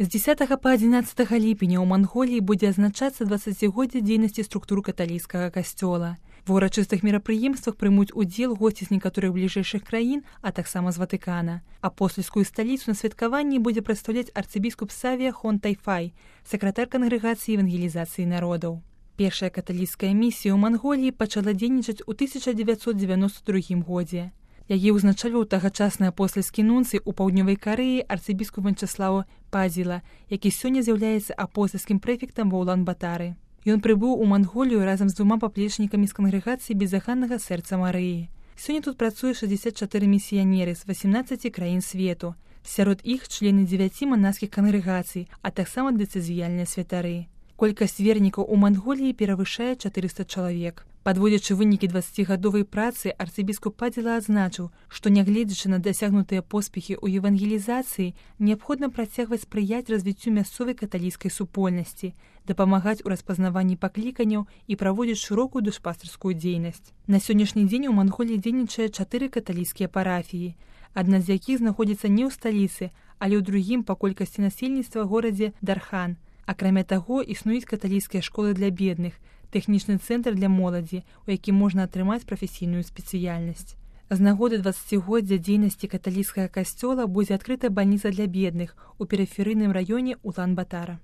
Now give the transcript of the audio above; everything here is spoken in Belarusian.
З 10 па 11 ліпеня ў Манголіі будзе адзначацца 20годдзе дзейнасці структур каталіцкага касцёла. Ва ўрачыстых мерапрыемствах прымуць удзел госці з некаторых бліжэйшых краін, а таксама з Ватыкана. Апостальскую сталіцу на святкаванні будзе прадстаўляць арцыбіскуп Савія Хон Тайфай, сакратар кангрэгацыі евангелізацыі народаў. Першая каталіцкая місія ў Манголіі пачала дзейнічаць у 1992 годзе. Яе ўзначальваў тагачасны апостальскі нунцый у паўднёвай Карэі арцыбіскуп Вячеслава Падзіла, які сёння з'яўляецца апостальскім прэфектам ва Улан-Батары. Ён прыбыў у Манголію разам з 2 паплечнікамі з кангрэгацыі безаханнага сэрца Марыі. Сёння тут працуе 64 місіянеры з 18 краін свету. Сярод іх члены 9 манаскіх кангрэгацый, а таксама дэцызіяльныя святары. Колькасць вернікаў у Манголіі перавышае 400 чалавек. Падводзячы вынікі 20гадовай працы, арцыбіскуп Падзіла адзначыў, што нягледзячы на дасягнутыя поспехі ў евангелізацыі, неабходна працягваць спрыяць развіццю мясцовай каталіцкай супольнасці, дапамагаць у распазнаванні пакліканняў і праводзіць шырокую душпастарскую дзейнасць. На сённяшні дзень у Манголіі дзейнічае 4 каталіцкія парафіі, адна з якіх знаходзіцца не ў сталіцы, але ў другім па колькасці насельніцтва горадзе Дархан. Акрамя таго, існуюць каталіцкія школы для бедных, тэхнічны цэнтр для моладзі, у якім можна атрымаць прафесійную спецыяльнасць. З нагоды 20годдзя дзейнасці каталіцкага касцёла будзе адкрыта бальніца для бедных у перыферыйным раёне Улан-Батара.